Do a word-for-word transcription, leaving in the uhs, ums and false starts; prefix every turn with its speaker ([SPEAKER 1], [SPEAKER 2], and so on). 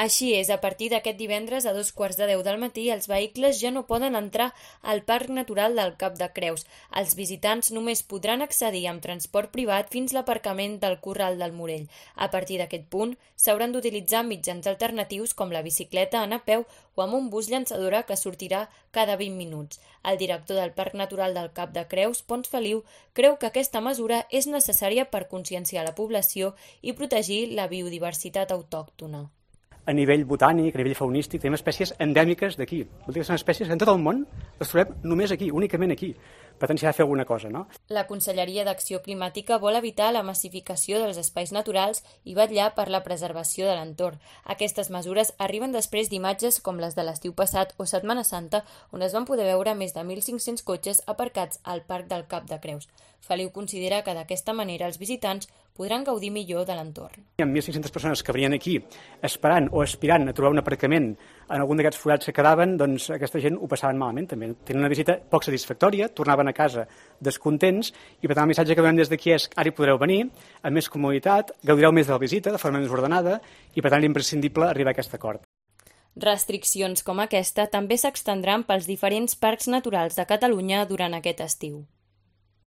[SPEAKER 1] Així és, a partir d'aquest divendres a dos quarts de deu del matí els vehicles ja no poden entrar al Parc Natural del Cap de Creus. Els visitants només podran accedir amb transport privat fins l'aparcament del Corral del Morell. A partir d'aquest punt s'hauran d'utilitzar mitjans alternatius com la bicicleta, anar a peu o amb un bus llançadora que sortirà cada vint minuts. El director del Parc Natural del Cap de Creus, Pons Feliu, creu que aquesta mesura és necessària per conscienciar la població i protegir la biodiversitat autòctona.
[SPEAKER 2] A nivell botànic, a nivell faunístic, tenim espècies endèmiques d'aquí. Vol dir que són espècies que en tot el món les trobem només aquí, únicament aquí. Per tant, s'hi ha de fer alguna cosa, no?
[SPEAKER 1] La Conselleria d'Acció Climàtica vol evitar la massificació dels espais naturals i vetllar per la preservació de l'entorn. Aquestes mesures arriben després d'imatges com les de l'estiu passat o Setmana Santa, on es van poder veure més de mil cinc-cents cotxes aparcats al Parc del Cap de Creus. Feliu considera que d'aquesta manera els visitants podran gaudir millor de l'entorn.
[SPEAKER 2] Hi ha mil cinc-centes persones que venien aquí esperant o aspirant a trobar un aparcament en algun d'aquests forats que quedaven, doncs aquesta gent ho passaven malament també. Tenen una visita poc satisfactòria, tornaven a casa descontents i per tant el missatge que veiem des d'aquí és ara hi podreu venir amb més comoditat, gaudireu més de la visita de forma més ordenada i per tant és imprescindible arribar a aquest acord.
[SPEAKER 1] Restriccions com aquesta també s'extendran pels diferents parcs naturals de Catalunya durant aquest estiu.